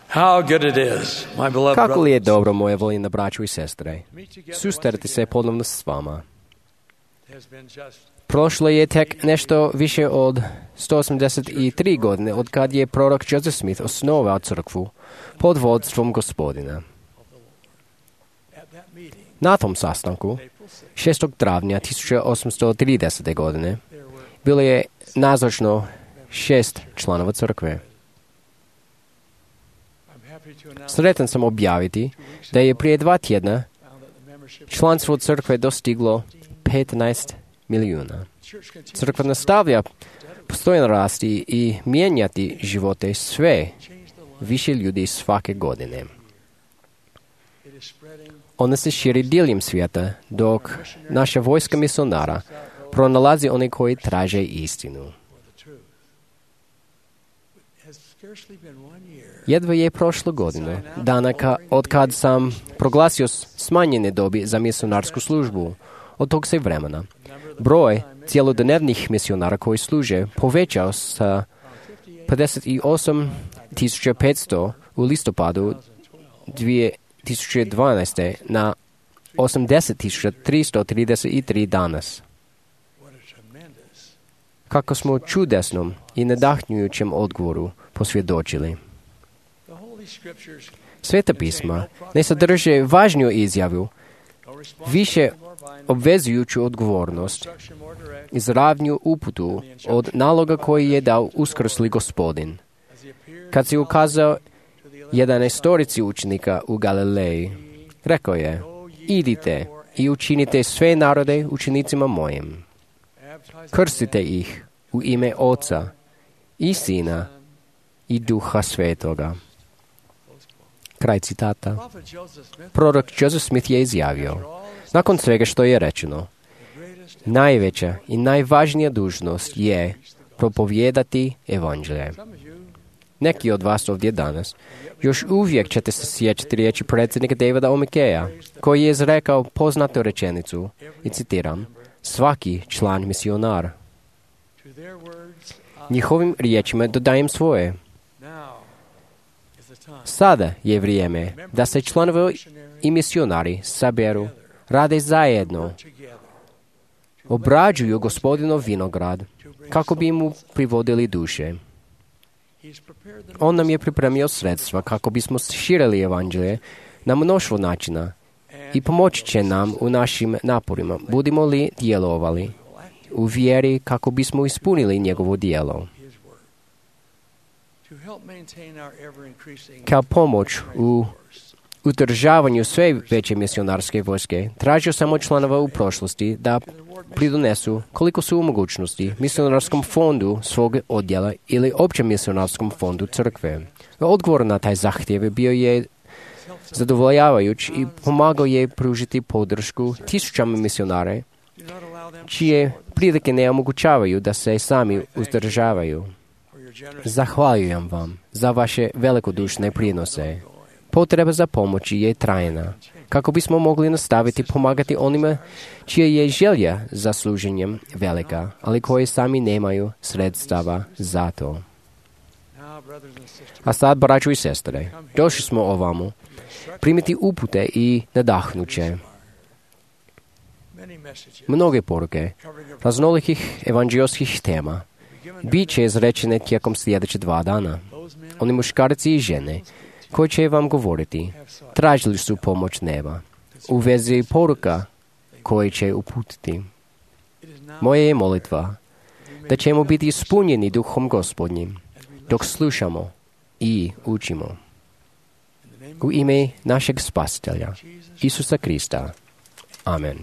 How good it is, my beloved Kako li je brothers, dobro, moje voljene braćo i sestre, susreti se ponovno s vama. has been just Prošlo je tek nešto više od 183 godine od kad je prorok Joseph Smith osnovao crkvu pod vodstvom Gospodina. at that meeting. Na tom sastanku, 6. travnja 1830. godine, bilo je nazočno 6 članova crkve. I'm happy to announce Sretan sam objaviti da je prije 2 tjedna found that the membership članstvo crkve dostiglo 15 milijuna. church continues Crkva nastavlja postojno rasti i mijenjati živote sve to change the life. više ljudi svake godine. It is spreading Ona se širi diljem svijeta, dok naša vojska misionara pronalazi one koji traže istinu. for the truth. It has scarcely been 1 year Jedva je prošlo godine, dana od kad sam proglasio smanjene dobi za misionarsku službu. Od tog se vremena broj cjelodnevnih misionara koji služe povećao sa 58.500 u listopadu 2012. na 80.333 danas. what a tremendous Kako smo čudesnom i nadahnjujućem odgovoru posvjedočili. the Holy Scriptures Sveta pisma ne sadrže važniju izjavu, više obvezujuću odgovornost, instruction more direct izravnju uputu od naloga koji je dao uskrsli Gospodin. as he appeared Kad se ukazao to the 11 učenika u Galileji, rekao je: idite i učinite sve narode učenicima mojim. baptized Krstite ih u ime Oca i Sina i Duha Svetoga. Kraj citata. prophet Joseph Smith, Prorok Joseph Smith je izjavio: nakon svega što je rečeno, najveća i najvažnija dužnost je propovijedati evanđelje. some of you Neki od vas ovdje danas još uvijek ćete se sjećati riječi predsjednika Davida Omikeja, koji je izrekao poznatu rečenicu, i citiram: svaki član misionar. to their words Njihovim riječima dodajem svoje. now is the time Sada je vrijeme da se članovi i misionari saberu, rade zajedno, together obrađuju Gospodinov vinograd kako bi mu privodili duše. he's prepared the On nam je pripremio sredstva kako bismo širili evanđelje na mnoštvo načina i pomoći će nam u našim naporima, budimo li djelovali u vjeri kako bismo ispunili njegovo djelo. his word to help maintain our ever increasing Kao pomoć u udržavanju sve veće misionarske vojske, tražio sam od članova u prošlosti da pridonesu koliko su u mogućnosti misionarskom fondu svog odjela ili općem misionarskom fondu crkve. Odgovor na taj zahtjev bio je zadovoljavajuć i pomagao je pružiti podršku tisućama misionare do not allow them čije prilike ne omogućavaju da se sami uzdržavaju. for your generous Zahvaljujem vam za vaše velikodušne prinose. Potreba za pomoći je trajna, kako bismo mogli nastaviti pomagati onima čija je želja za služenjem velika, ali koji sami nemaju sredstava za to. now brothers and sisters A sad, braćo i sestre, došli smo ovamo primiti upute i nadahnuće. many messages Mnoge poruke covering a raznolikih evanđelskih tema bit će izrečene tijekom sljedeće 2 dana. those men Oni muškarci i žene koji će vam govoriti tražili su pomoć neba u vezi poruka koje će uputiti. it is now Moja je molitva da ćemo biti ispunjeni duhom Gospodnjim dok slušamo i učimo. in the name U ime našeg Spasitelja, Isusa Krista. Amen.